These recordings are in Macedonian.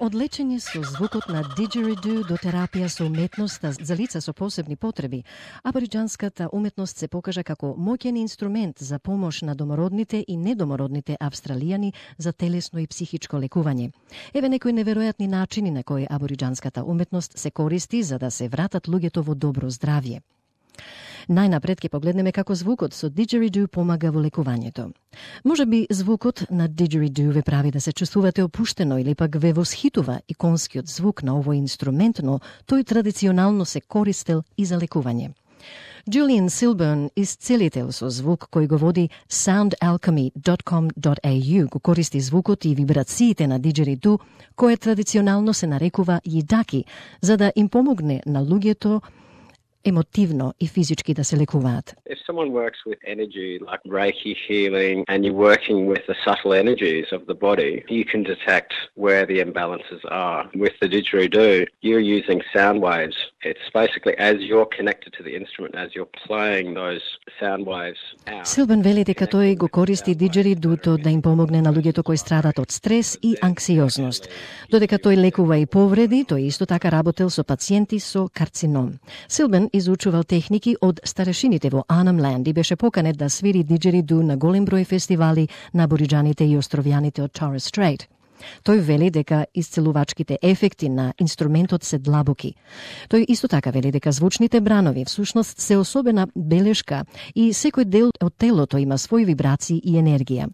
Од лечење со звукот на диџериду до терапија со уметноста за лица со посебни потреби, абориџанската уметност се покажа како моќен инструмент за помош на домородните и недомородните австралијани за телесно и психичко лекување. Еве некои неверојатни начини на кои абориџанската уметност се користи за да се вратат луѓето во добро здравје. Најнапред ќе погледнеме како звукот со диџериду помага во лекувањето. Можеби звукот на диџериду ве прави да се чувствувате опуштено или пак ве восхитува иконскиот звук на овој инструмент, но тој традиционално се користел и за лекување. Julian Silburn, исцелител со звук кој го води soundalchemy.com.au, го користи звукот и вибрациите на диџериду, кој традиционално се нарекува јидаки, за да им помогне на луѓето емотивно и физички да се лекуваат. If someone works with energy like Reiki healing and you're working with the subtle energies of the body, you can detect where the imbalances are. With the didgeridoo, you're using sound waves. It's basically as you're connected to the instrument, as you're playing those sound waves out. Силбен вели дека тој го користи диџеридуто да им помогне на луѓето кои страдат од стрес и анксиозност. Додека тој лекува и повреди, тој исто така работел со пациенти со карцином. Силбен изучувал техники од старешините во Arnhem Land и беше поканет да свири диџериду на голем број фестивали на абориџаните и островјаните од Torres Strait. Тој вели дека исцелувачките ефекти на инструментот се длабоки. Тој исто така вели дека звучните бранови всушност се особена белешка и секој дел од телото има своји вибрации и енергија.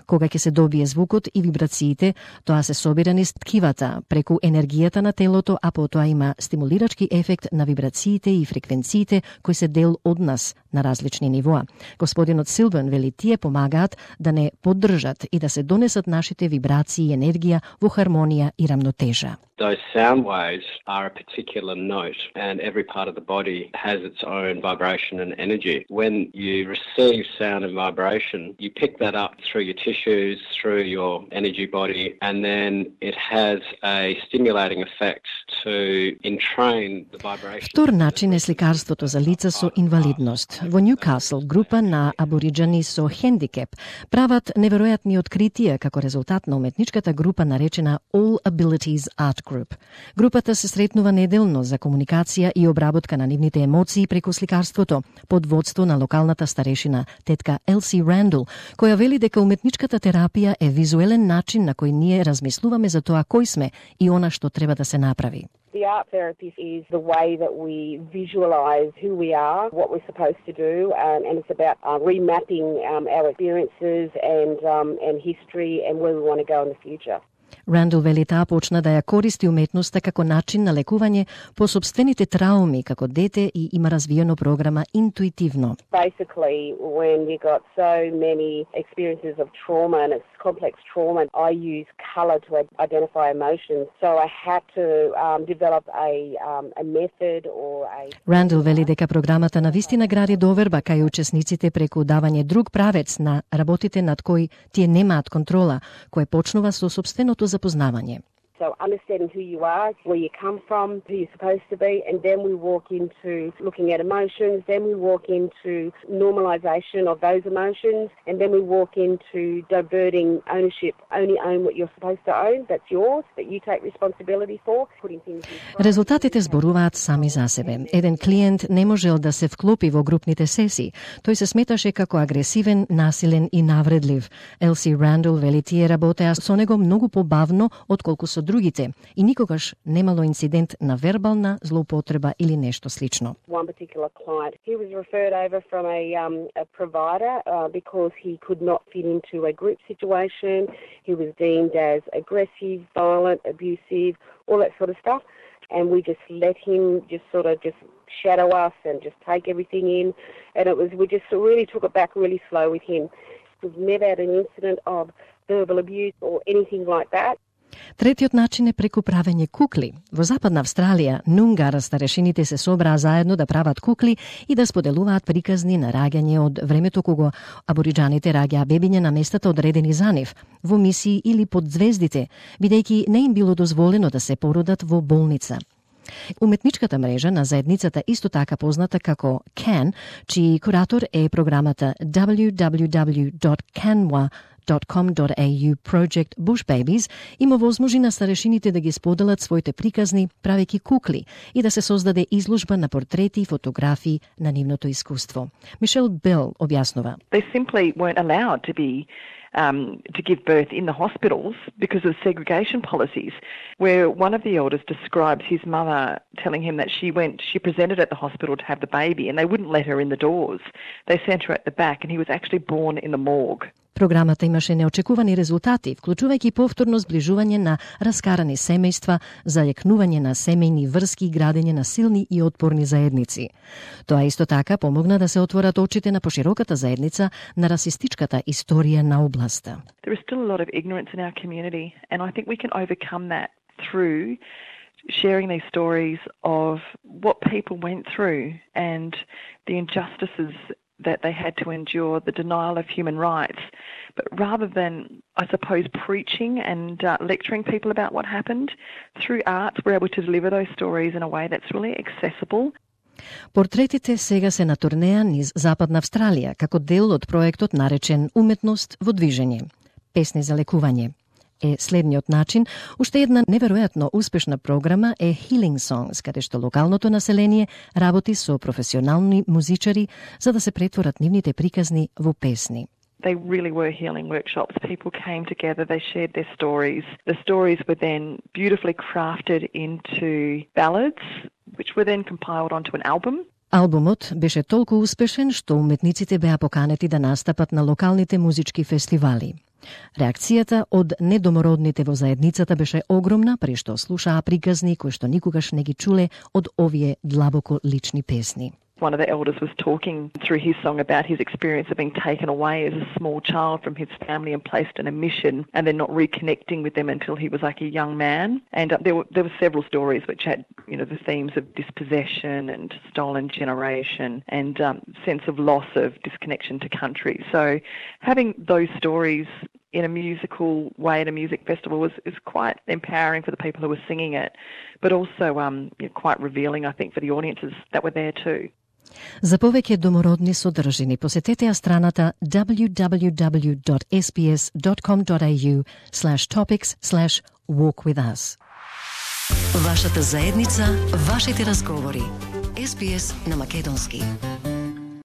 Кога ќе се добие звукот и вибрациите, тоа се собира низ ткивата преку енергијата на телото, а потоа има стимулирачки ефект на вибрациите и фреквенциите кои се дел од нас на различни нивоа. Господинот Силбен вели тие помагаат да не поддржат и да се донесат нашите вибрации и енергија во хармонија и рамнотежа. Those sound waves are a particular note, and every part of the body has its own vibration and energy. When you receive sound and vibration, you pick that up through your tissues, through your energy body, and then it has a stimulating effect to entrain the vibration. Втор начин е сликарството за лица со инвалидност. Во Ньюкасл, група на абориџани со хендикеп прават неверојатни откритија како резултат на уметничката група наречена All Abilities Art Group. Групата се сретнува неделно за комуникација и обработка на нивните емоции преку сликарството под водство на локалната старешина тетка Елси Рандл, која вели дека уметничката терапија е визуелен начин на кој ние размислуваме за тоа кој сме и она што треба да се направи. The art therapy is the way that we visualize who we are, what we're supposed to do, and it's about remapping our experiences and history and where we want to go in the future. Рандл вели таа почна да ја користи уметноста како начин на лекување по собствените трауми како дете и има развиено програма интуитивно. Basically, when you got so many experiences of trauma and it's complex trauma, I use color to identify emotions. So I had to develop a method or a... Рандл вели дека програмата на вистина гради доверба кај учесниците преку давање друг правец на работите над кои тие немаат контрола, кое почнува со собственото запознавање. So understanding who you are, where you come from, who you're supposed to be, and then we walk into looking at emotions, then we walk into normalization of those emotions, and then we walk into diverting ownership. Only own what you're supposed to own, that's yours, that you take responsibility for. Putting things in. Резултатите зборуваат сами за себе. Еден клиент не можел да се вклопи во групните сесии. Тој се сметаше како агресивен, насилен и навредлив. Елси Рандл вели тие работеа со него многу побавно отколку со другите и никогаш немало инцидент на вербална злоупотреба или нешто слично. One particular client, he was referred over from a provider because he could not fit into a group situation. He was deemed as aggressive, violent, abusive, all that sort of stuff. And we just let him just shadow us and just take everything in. And we just really took it back really slow with him. We've never had an incident of verbal abuse or anything like that. Третиот начин е преку правење кукли. Во Западна Австралија, Нунгара старешините се собраа заедно да прават кукли и да споделуваат приказни на раѓање од времето кога абориџаните раѓаа бебиња на местата одредени за нив, во мисии или под звездите, бидејќи не им било дозволено да се породат во болница. Уметничката мрежа на заедницата исто така позната како CAN, чиј куратор е програмата www.canwa.com sps.com.au Project Bush Babies има возможи на старешините да ги споделат своите приказни, правејќи кукли и да се создаде изложба на портрети и фотографии на нивното искуство. Мишел Бел објаснува. They simply weren't allowed to be to give birth in the hospitals because of segregation policies, where one of the elders describes his mother telling him that she presented at the hospital to have the baby and they wouldn't let her in the doors. They sent her at the back and he was actually born in the morgue. Програмата имаше неочекувани резултати, вклучувајќи повторно зближување на раскарани семејства, зајакнување на семејни врски и градење на силни и отпорни заедници. Тоа исто така помогна да се отворат очите на пошироката заедница на расистичката историја на областа. There is still a lot of ignorance in our community and I think we can overcome that through sharing these stories of what people went through and the injustices that they had to endure, the denial of human rights. But rather than, I suppose, preaching and lecturing people about what happened, through arts we're able to deliver those stories in a way that's really accessible. Портретите сега се на турнеја низ Западна Австралија, како дел од проектот наречен Уметност во движење. Песни за лекување е следниот начин. Уште една неверојатно успешна програма е Healing Songs, каде што локалното население работи со професионални музичари за да се претворат нивните приказни во песни. They really were healing workshops. People came together, they shared their stories. The stories were then beautifully crafted into ballads, which were then compiled onto an album. Албумот беше толку успешен што уметниците беа поканети да настапат на локалните музички фестивали. Реакцијата од недомородните во заедницата беше огромна, при што слушаа приказни кои што никогаш не ги чуле од овие длабоко лични песни. One of the elders was talking through his song about his experience of being taken away as a small child from his family and placed in a mission and then not reconnecting with them until he was like a young man. And there were several stories which had, the themes of dispossession and stolen generation and sense of loss of disconnection to country. So having those stories in a musical way at a music festival is quite empowering for the people who were singing it, but also quite revealing, I think, for the audiences that were there too. За повеќе домородни содржини посетете ја страната www.sbs.com.au/topics/walkwithus. Вашата заедница, вашите разговори. SBS на македонски.